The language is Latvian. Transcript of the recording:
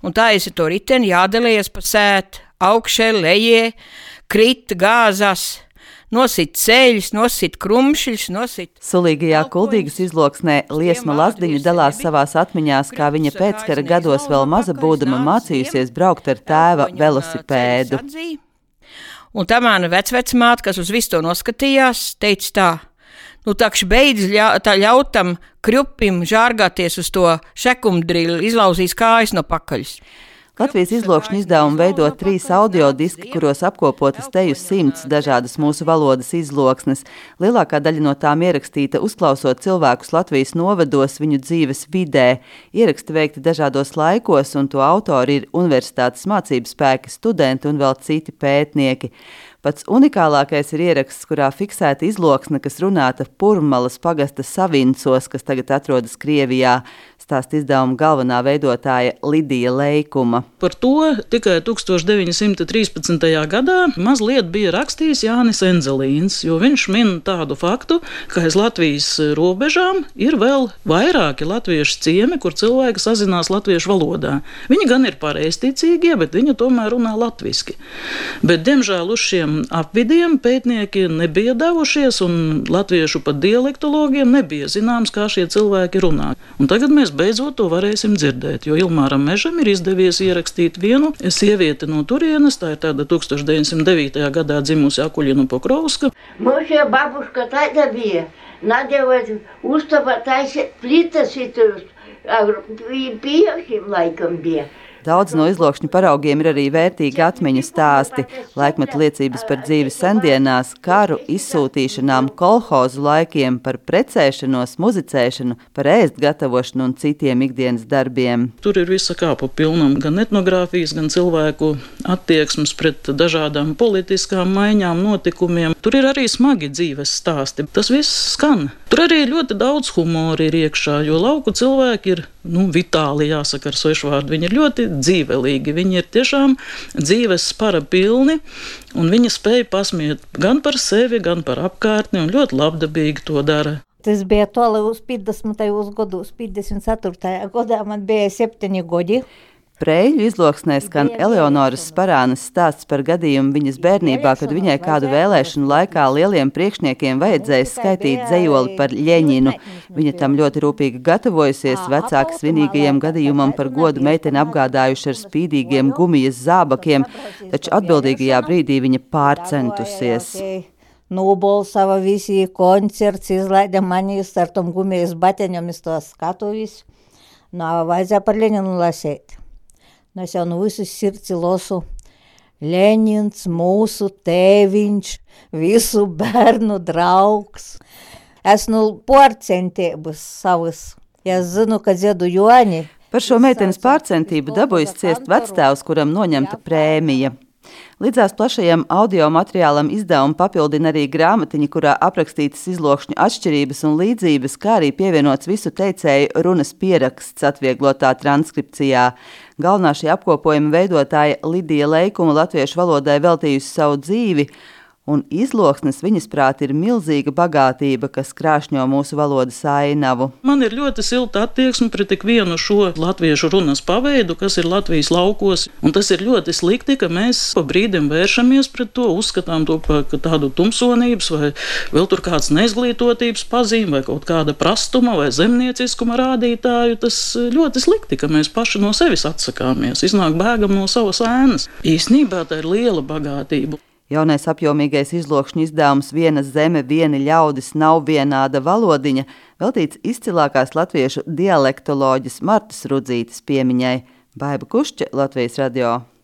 un taisi to riteni, jādalies pa sēt, augšē, lejē, krit, gāzās, nosit ceļus, nosit krumšļus, nosit... Sulīgajā Kuldīgas izloksnē Liesma Lazdiņa dalās savās atmiņās, kā viņa pēckara gados vēl maza būdama mācījusies braukt ar tēva velosipēdu. Un tā mana vecvecmāte, kas uz visu to noskatījās, teica tā, nu takš beidz ļaut tam krupim žārgāties uz to šekumdrilu, izlauzīs kājas no pakaļas. Latvijas izlokšņu izdevumu veido 3 audiodiski, kuros apkopotas teju 100 dažādas mūsu valodas izloksnes. Lielākā daļa no tām ierakstīta uzklausot cilvēkus Latvijas novados viņu dzīves vidē. Ieraksti veikti dažādos laikos, un to autori ir universitātes mācību spēki, studenti un vēl citi pētnieki. Pats unikālākais ir ieraksts, kurā fiksēta izloksne, kas runāta Purmalas pagasta Savincos, kas tagad atrodas Krievijā, stāsta izdevuma galvenā veidotāja Lidija Leikuma. Par to tikai 1913. gadā mazliet bija rakstījis Jānis Enzelīns, jo viņš min tādu faktu, ka aiz Latvijas robežām ir vēl vairāki latviešu ciemi, kur cilvēki sazinās latviešu valodā. Viņi gan ir pareizticīgie, bet viņi tomēr runā latviski. Bet, diemžēl, uz šiem apvidiem pētnieki nebija devušies, un latviešu pat dialektologiem nebija zināms, kā šie cilvēki runā. Un tagad mēs beidzot to varēsim dzirdēt, jo Ilmāram Mežam ir izdevies ierakstīt vienu sievieti no turienes, tā ir tāda 1909. gadā dzimusi Akuļina Pokrovska. Mošie babuška tāda bija, nadevot uztapa taisīt plitas šitus, pieaušiem laikam bija. Daudz no izlokšņu paraugiem ir arī vērtīgi atmiņu stāsti, laikmetu liecības par dzīvi sendienās, karu, izsūtīšanām, kolhozu laikiem, par precēšanos, muzicēšanu, par ēst gatavošanu un citiem ikdienas darbiem. Tur ir visa kāpa pilnam, gan etnogrāfijas, gan cilvēku attieksmes pret dažādām politiskām maiņām, notikumiem. Tur ir arī smagi dzīves stāsti. Tas viss skan. Tur arī ļoti daudz humora ir iekšā, jo lauku cilvēki ir, vitāli jāsaka ar svešvārdu. Viņi ir ļoti dzīvelīgi, viņi ir tiešām dzīves spara pilni, un viņi spēja pasmiet gan par sevi, gan par apkārtni, un ļoti labdabīgi to dara. Tas bija toli uz 50. gados, 54. gadā man bija 7 gadi. Preļu izloksnē skan Eleonoras Sparānas stāsts par gadījumu viņas bērnībā, kad viņai kādu vēlēšanu laikā lieliem priekšniekiem vajadzēja skaitīt dzejoli par Ļeņinu. Viņa tam ļoti rūpīgi gatavojusies, vecāki svinīgajam gadījumam par godu meiteni apgādājuši ar spīdīgiem gumijas zābakiem, taču atbildīgajā brīdī viņa pārcentusies. Nobalsava visi koncerts, izlaida manīs ar tom gumijas bateņom iz to skatu visu. Vajadzēja par Ļeņinu lasēt. Es jau no visus sirds lasu. Ļeņins, mūsu tēviņš, visu bērnu draugs. Es pārcentības savas. Es zinu, ka dziedu Joņi. Par šo meitenes pārcentību dabūjis ciest vectēvs, kuram noņemta prēmija. Līdzās plašajam audio materiālam izdevumu papildina arī grāmatiņa, kurā aprakstītas izlokšņu atšķirības un līdzības, kā arī pievienots visu teicēju runas pieraksts atvieglotā transkripcijā. Galvenā šī apkopojuma veidotāja Lidija Leikuma latviešu valodai veltījusi savu dzīvi, un izloksnes viņas prāt ir milzīga bagātība, kas krāšņo mūsu valodas ainavu. Man ir ļoti silta attieksme pret tik vienu šo latviešu runas paveidu, kas ir Latvijas laukos, un tas ir ļoti slikti, ka mēs pa brīdim vēršamies pret to, uzskatām to par tādu tumsonības vai vēl tur kāds neizglītotības pazīme vai kaut kāda prastuma vai zemnieciskuma rādītāju. Tas ļoti slikti, ka mēs paši no sevis atsakāmies, iznāk bēgam no savas ēnas. Īsnībā tā ir liela bagātība. Jaunais apjomīgais izlokšņu izdevums Viena zeme, vieni ļaudis nav vienāda valodiņa veltīts izcilākās latviešu dialektoloģes Martas Rudzītes piemiņai. Baiba Kušķe, Latvijas radio.